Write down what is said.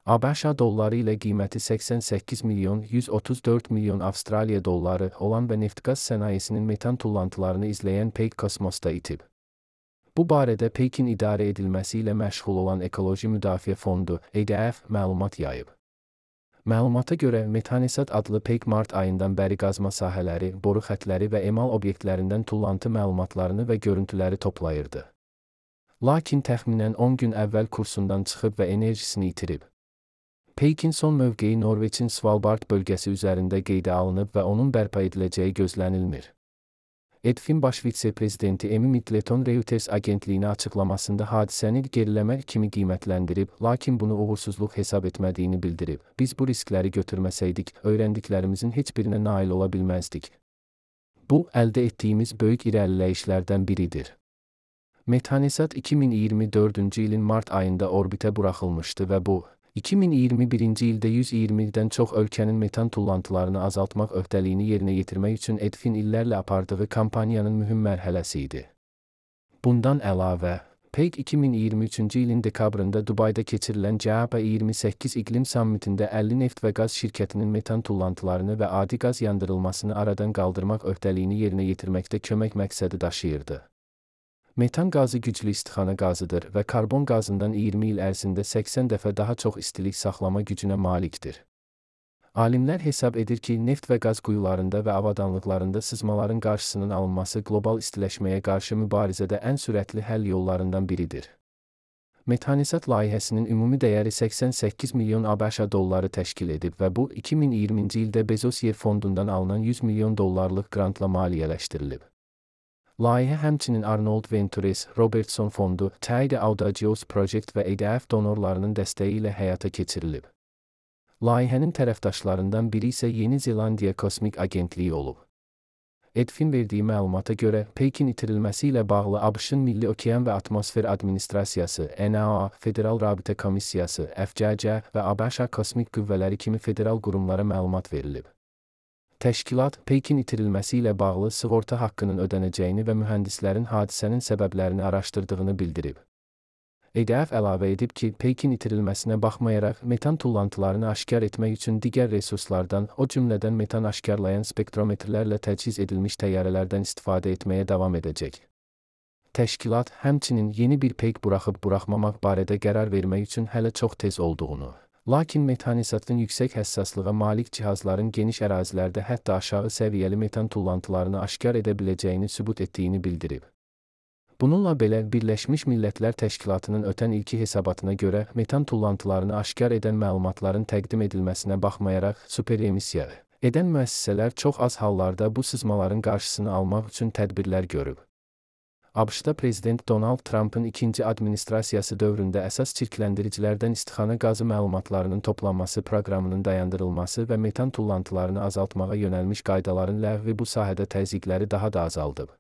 ABŞ dolları ilə qiyməti 88 milyon 134 milyon Avstraliya dolları olan və neft-qaz sənayesinin metan tullantılarını izləyən Peak kosmosda itib. Bu barədə Peakin idarə edilməsi ilə məşğul olan Ekoloji Müdafiə Fondu (EDF) məlumat yayıb. Məlumata görə Metanesat adlı Peak mart ayından bəri qazma sahələri, boru xətləri və emal obyektlərindən tullantı məlumatlarını və görüntüləri toplayırdı. Lakin təxminən 10 gün əvvəl kursundan çıxıb və enerjisini itirib. Peakin son mövqeyi Norveçin Svalbard bölgəsi üzərində qeydə alınıb və onun bərpa ediləcəyi gözlənilmir. EDF'in baş vitse-prezidenti Amy Middleton Reuters agentliyinə açıqlamasında hadisəni geriləmə kimi qiymətləndirib, lakin bunu uğursuzluq hesab etmədiyini bildirib. Biz bu riskləri götürməsəydik, öyrəndiklərimizin heç birinə nail ola bilməzdik. Bu, əldə etdiyimiz böyük irəliləyişlərdən biridir. Metanesat 2024-cü ilin mart ayında orbitə buraxılmışdı və bu, 2021-ci ildə 120-dən çox ölkənin metan tullantılarını azaltmaq öhdəliyini yerinə yetirmək üçün EDF'in illərlə apardığı kampaniyanın mühüm mərhələsi idi. Bundan əlavə, Peak 2023-cü ilin dekabrında Dubayda keçirilən COP28 iqlim sammitində 50 neft və qaz şirkətinin metan tullantılarını və adi qaz yandırılmasını aradan qaldırmaq öhdəliyini yerinə yetirməkdə kömək məqsədi daşıyırdı. Metan qazı güclü istixana qazıdır və karbon qazından 20 il ərzində 80 dəfə daha çox istilik saxlama gücünə malikdir. Alimlər hesab edir ki, neft və qaz quyularında və avadanlıqlarında sızmaların qarşısının alınması qlobal istiləşməyə qarşı mübarizədə ən sürətli həll yollarından biridir. Metanesat layihəsinin ümumi dəyəri 88 milyon ABŞ dolları təşkil edib və bu, 2020-ci ildə Bezos Yer fondundan alınan 100 milyon dollarlıq qrantla maliyyələşdirilib. Layihə həmçinin Arnold Ventures, Robertson Fondu, Teide Audacious Project və EDF donorlarının dəstəyi ilə həyata keçirilib. Layihənin tərəfdaşlarından biri isə Yeni Zelandiya Kosmik Agentliyi olub. EDF'in verdiyi məlumata görə, Peakin itirilməsi ilə bağlı ABŞ-ın Milli Okean və Atmosfer Administrasiyası, NOAA, Federal Rabitə Komissiyası, FCC və ABŞ Kosmik Qüvvələri kimi federal qurumlara məlumat verilib. Təşkilat, Peakin itirilməsi ilə bağlı sığorta haqqının ödənəcəyini və mühəndislərin hadisənin səbəblərini araşdırdığını bildirib. EDF əlavə edib ki, Peakin itirilməsinə baxmayaraq, metan tullantılarını aşkar etmək üçün digər resurslardan, o cümlədən metan aşkarlayan spektrometrlərlə təchiz edilmiş təyyarələrdən istifadə etməyə davam edəcək. Təşkilat, həmçinin yeni bir Peak buraxıb-buraxmamaq barədə qərar vermək üçün hələ çox tez olduğunu, lakin Metanesatın yüksək həssaslığa malik cihazların geniş ərazilərdə hətta aşağı səviyyəli metan tullantılarını aşkar edə biləcəyini sübut etdiyini bildirib. Bununla belə, Birləşmiş Millətlər Təşkilatının ötən ilki hesabatına görə, metan tullantılarını aşkar edən məlumatların təqdim edilməsinə baxmayaraq, superemisiya edən müəssisələr çox az hallarda bu sızmaların qarşısını almaq üçün tədbirlər görüb. ABŞ-da Prezident Donald Trump'ın ikinci administrasiyası dövründə əsas çirkləndiricilərdən istixana qazı məlumatlarının toplanması proqramının dayandırılması və metan tullantılarını azaltmağa yönəlmiş qaydaların ləğvi bu sahədə təzyiqləri daha da azaldıb.